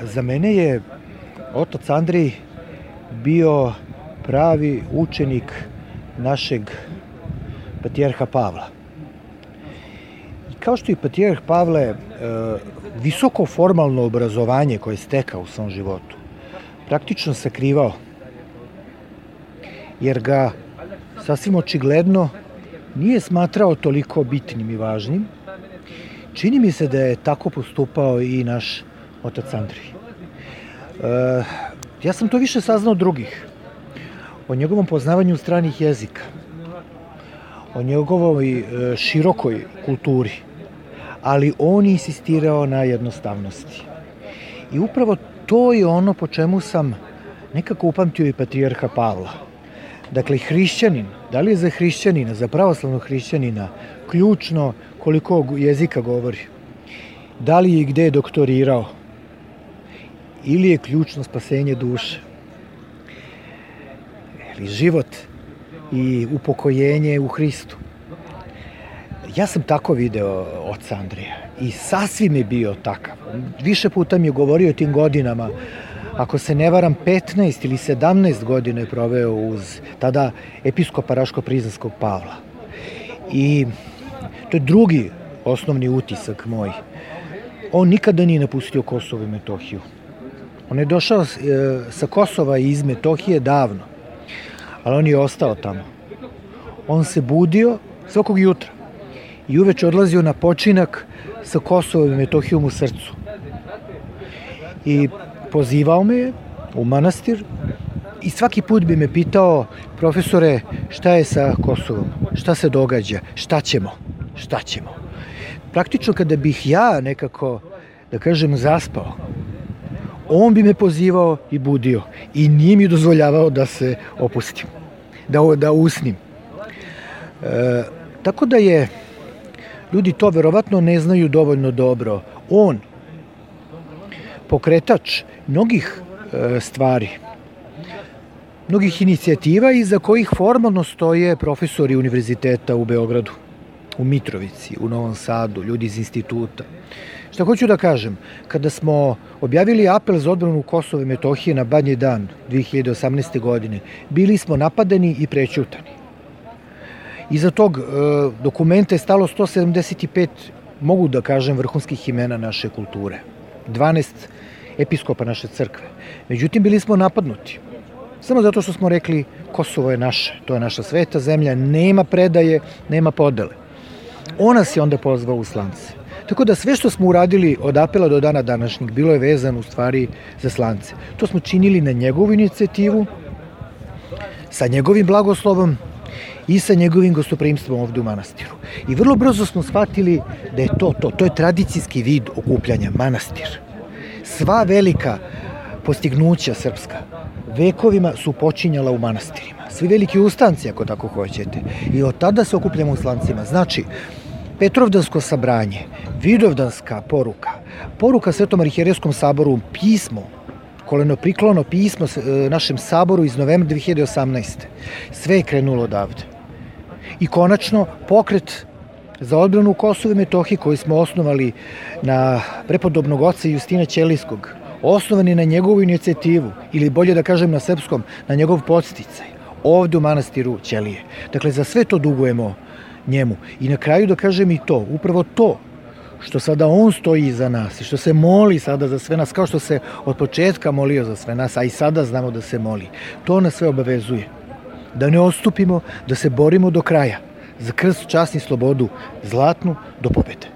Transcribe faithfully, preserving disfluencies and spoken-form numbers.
Za mene je otac Andrej bio pravi učenik našeg patrijarha Pavla. I kao što i patrijarh Pavle, visoko formalno obrazovanje koje je stekao u svom životu, praktično sakrivao, jer ga sasvim očigledno nije smatrao toliko bitnim i važnim. Čini mi se da je tako postupao i naš otac Andrej. E, ja sam to više saznao od drugih. O njegovom poznavanju stranih jezika, o njegovoj e, širokoj kulturi, ali on je insistirao na jednostavnosti. I upravo to je ono po čemu sam nekako upamtio i patrijarha Pavla. Dakle, hrišćanin, da li je za hrišćanina, za pravoslavnog hrišćanina, ključno koliko jezika govori, da li je i gde je doktorirao, ili je ključno spasenje duše, ili život i upokojenje u Hristu. Ja sam tako video oca Andreja i sasvim je bio takav. Više puta mi je govorio o tim godinama. Ako se ne varam, petnaest ili sedamnaest godina je proveo uz tada episkopa Raško-Prizrenskog Pavla. I to je drugi osnovni utisak moj. On nikada nije napustio Kosovo i Metohiju. On je došao sa Kosova i iz Metohije davno, ali on je ostao tamo. On se budio svakog jutra i uveče odlazio na počinak sa Kosovom i Metohijom u srcu. I pozivao me je u manastir i svaki put bi me pitao: profesore, šta je sa Kosovom? Šta se događa? Šta ćemo? Šta ćemo? Praktično kada bih ja nekako, da kažem, zaspao, on bi me pozivao i budio i nije mi dozvoljavao da se opustim, da, da usnim. E, tako da je, ljudi to verovatno ne znaju dovoljno dobro, on pokretač mnogih e, stvari, mnogih inicijativa iza kojih formalno stoje profesori univerziteta u Beogradu, u Mitrovici, u Novom Sadu, ljudi iz instituta. Šta hoću da kažem, kada smo objavili apel za odbranu Kosova i Metohije na Badnji dan dve hiljade osamnaeste. godine, bili smo napadani i prećutani. Iza tog e, dokumenta je stalo sto sedamdeset pet, mogu da kažem, vrhunskih imena naše kulture, dvanaest episkopa naše crkve. Međutim, bili smo napadnuti. Samo zato što smo rekli: Kosovo je naše, to je naša sveta zemlja, nema predaje, nema podele. On nas je onda pozvao u slance. Tako da sve što smo uradili od apela do dana današnjeg bilo je vezano u stvari za slance. To smo činili na njegovu inicijativu, sa njegovim blagoslovom i sa njegovim gostoprimstvom ovde u manastiru. I vrlo brzo smo shvatili da je to to. To je tradicijski vid okupljanja, manastir. Sva velika postignuća srpska vekovima su počinjala u manastirima. Svi veliki ustanci, ako tako hoćete. I od tada se okupljamo u slancima. Znači, Petrovdansko sabranje, Vidovdanska poruka, poruka Svetom arhijerejskom saboru, pismo, kolenopriklono pismo našem saboru iz novembra dve hiljade osamnaeste. Sve je krenulo odavde. I konačno, pokret za odbranu Kosova i Metohije koji smo osnovali na prepodobnog oca Justina Ćelijskog, osnovani na njegovu inicijativu, ili bolje da kažem na srpskom, na njegov podsticaj, ovde u manastiru Ćelije. Dakle, za sve to dugujemo njemu. I na kraju da kažem i to, upravo to, što sada on stoji iza nas i što se moli sada za sve nas, kao što se od početka molio za sve nas, a i sada znamo da se moli, to nas sve obavezuje. Da ne odstupimo, da se borimo do kraja za krst, čast i slobodu, zlatnu, do pobede.